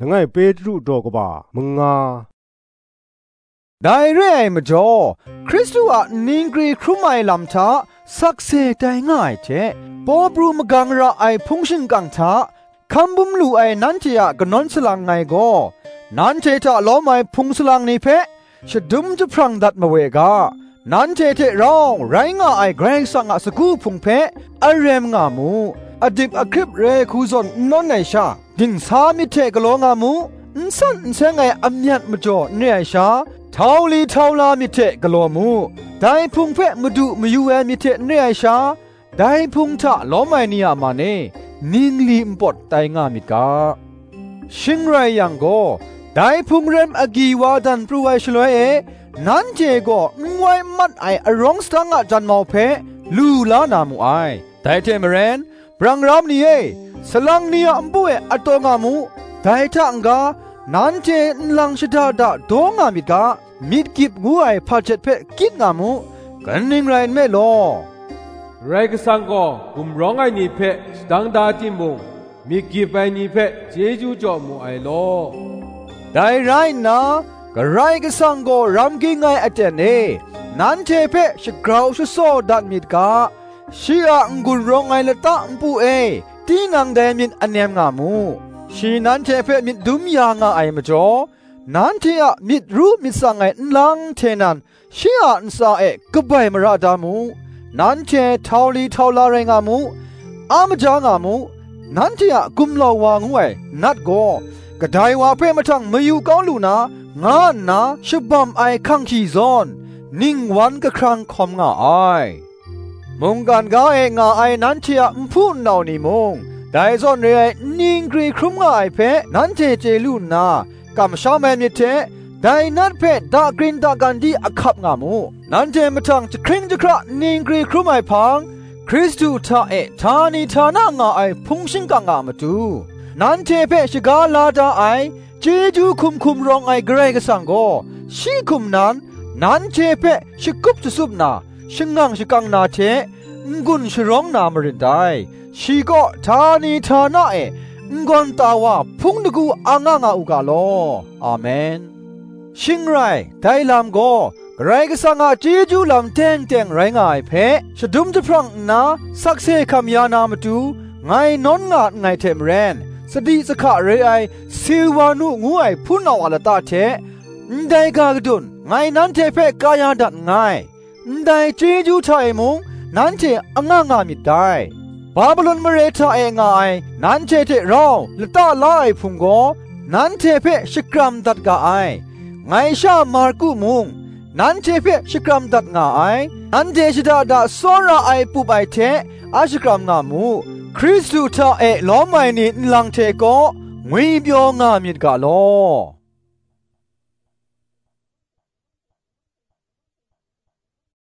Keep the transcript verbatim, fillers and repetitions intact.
Langai Petru daw kaba manga. Dai re ai majaw, Hkristu a ningri hkrum ai lam hta sakse tai nga ai hte, paw pru magang ra ai hpung shingkang hta hkam bum lu ai nanhte a kanawn salang ngai gaw, nanhte hta lawm ai hpung salang ni hpe shadum jahprang dat mawe ga, nanhte hte rau rai nga ai Karai Kasang a sagu hpung hpe arem nga mu, adip ahkrip re hku zawn n nawn ai sha, dingsa myit hte galaw nga mu, n san n seng ai amyat majaw n re ai sha, htau li htau la myit hte galaw mu, dai hpung hpe madu mayu ai myit hte n re ai sha, dai hpung hta lawm ai ni a man e, ningli npawt tai nga myit ga. Shing rai yang gaw, dai hpung rem agyi wa dan pru ai shaloi e, nanhte gaw n wai n mat ai arawng sadang a janmau hpe lu la na mu ai. Dai hte maren, brangram ni e, salang ni a npu e at taw nga mu, dai hta n-ga, nanhte nlang shada da daw nga myit ga, myit gyip ngu ai hpajet hpe kyit nga mu, kaning rai nme law, Karai Kasang gaw gumrawng ai ni hpe shadang da timung, myit gyip ai ni hpe chyeju jaw mu ai law. Dai rai nna, Karai Kasang gaw ram ging ai aten e nanhte hpe shagrau shasaw dat myit ga, shi a n-gun rawng ai lata npu e tinang dai myit anem nga mu. Shi nanhte hpe myit dum ya nga ai majaw, nanhte a myit ru myit tsang ai nlang hte nan, shi a ntsa e kabai mara da mu. Nanhte htau li htau la rai nga mu, a maja nga mu. Nanhte a gumlau wa ngu ai Nat gaw, kadai wa hpe mahtang mayu kau lu na, nga nna shabam ai hkang hkyi zawn, ningwan kahkrang hkawm nga ai. Mungkan ga e nga ai nanhte a nhpu nnau ni mung, dai zawn re ai ningri hkrum nga ai hpe nanhte chye lu nna, kamsham ai myit hte, dai Nat hpe dakrin dagan di ahkap nga mu. Nanhte mahtang jahkring jahkra ningri hkrum ai hpang, Hkristu hta e htani htana nga ai hpung shingkang a matu, nanhte hpe shaga la da ai, chyeju hkum hkum rawng ai Karai Kasang gaw, shi hkum nan, nanhte hpe shakup shatsup na, shangang shakang na hte, n-gun sharawng na marin dai. Shi kaw htani htana e n-gawn ta wa hpung dagu ang nga nga u ga law. Amen. Shing rai, dai lam gaw Karai Kasang a chyeju lam teng teng rai nga ai hpe, shadum jahprang nna sakse hkam ya na matu, ngai nawn nga nngai hte maren, sadi sahka re ai Silwanu ngu ai hpunau a lata hte, ndai ga gadun ngai nanhte hpe kaya dat nngai. Ndai chyeju hta e mung nanhte anga nga myit dai. Babilon mare hta e nga ai nanhte hte rau lata la ai hpung gaw, nanhte hpe shakram dat ga ai. Ngai sha Marku mung, nanhte hpe shakram dat nga ai. Nanhte shada da tsawra ai pup ai hte a shakram nga mu. Hkristu hta e lawm ai ni nlang hte kaw ngwipyaw nga myit ga law.